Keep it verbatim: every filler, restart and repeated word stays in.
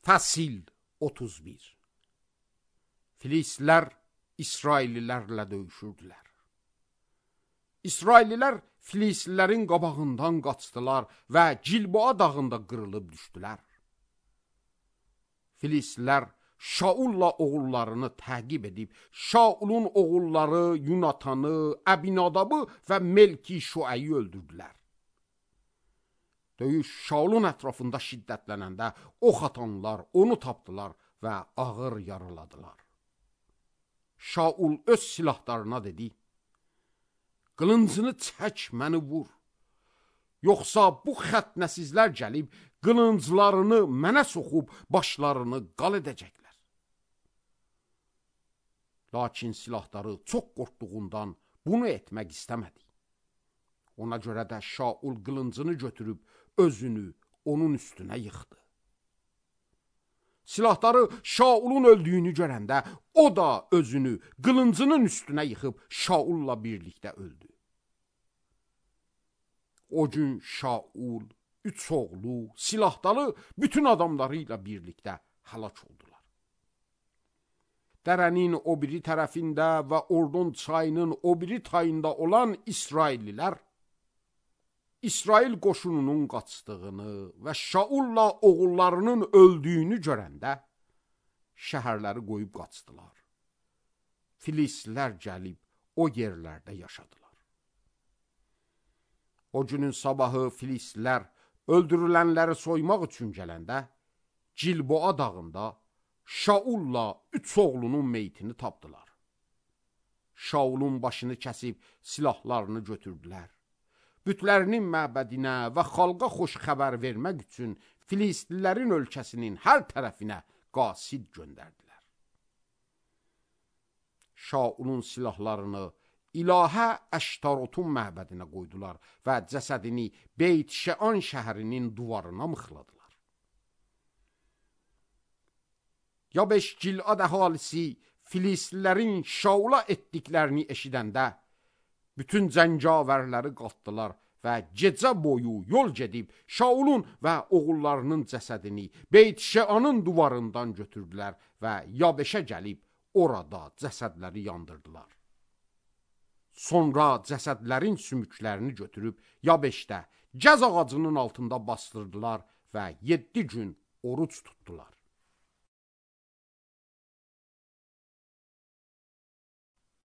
Fəsil otuz bir. Filislər İsraillilərlə döyüşürdülər. İsraillilər Filislilərin qabağından qaçdılar və Gilboa dağında qırılıb düşdülər. Filislər Şaulla oğullarını təqib edib, Şaulun oğulları Yunatanı, Əbinadabı və Melki Şuayi öldürdülər. Döyüş Şaulun ətrafında şiddətlənəndə ox atanlar onu tapdılar və ağır yaraladılar. Şaul öz silahlarına dedi: "Qılıncını çək, məni vur. Yoxsa bu xətnəsizlər gəlib qılınclarını mənə soxub başlarını qal edəcəklər." Lakin silahları çox qorxduğundan bunu etmək istəmədi. Ona görə də Şaul qılıncını götürüb özünü onun üstünə yıxdı. Silahları Şaulun öldüyünü görəndə o da özünü qılıncının üstünə yıxıb Şaulla birlikdə öldü. O gün Şaul, üç oğlu, silahdalı bütün adamlarıyla birlikdə həlak oldular. Dərənin o biri tərəfində və Ordon çayının o biri tayında olan İsraillilər, İsrail qoşununun qaçdığını və Şaulla oğullarının öldüyünü görəndə şəhərləri qoyub qaçdılar. Filislər gəlib o yerlərdə yaşadılar. O günün sabahı Filislər öldürülənləri soymaq üçün gələndə Gilboa dağında Şaulla üç oğlunun meyitini tapdılar. Şaulun başını kəsib silahlarını götürdülər. Bütlərinin məbədinə və xalqa xoş xəbər vermək üçün Filistlilərin ölkəsinin hər tərəfinə qasid göndərdilər. Şaulun silahlarını İlahə Əştarotun məbədinə qoydular və cəsədini Beyt Şean şəhərinin duvarına mıxladılar. Yabeş Gilad əhalisi Filistlilərin Şaula etdiklərini eşidəndə bütün cəngavərləri qatdılar və gecə boyu yol gedib Şaulun və oğullarının cəsədini Beyt Şeanın duvarından götürdülər və Yabeşə gəlib orada cəsədləri yandırdılar. Sonra cəsədlərin sümüklərini götürüb Yabeşdə gəz ağacının altında bastırdılar və yeddi gün oruç tutdular.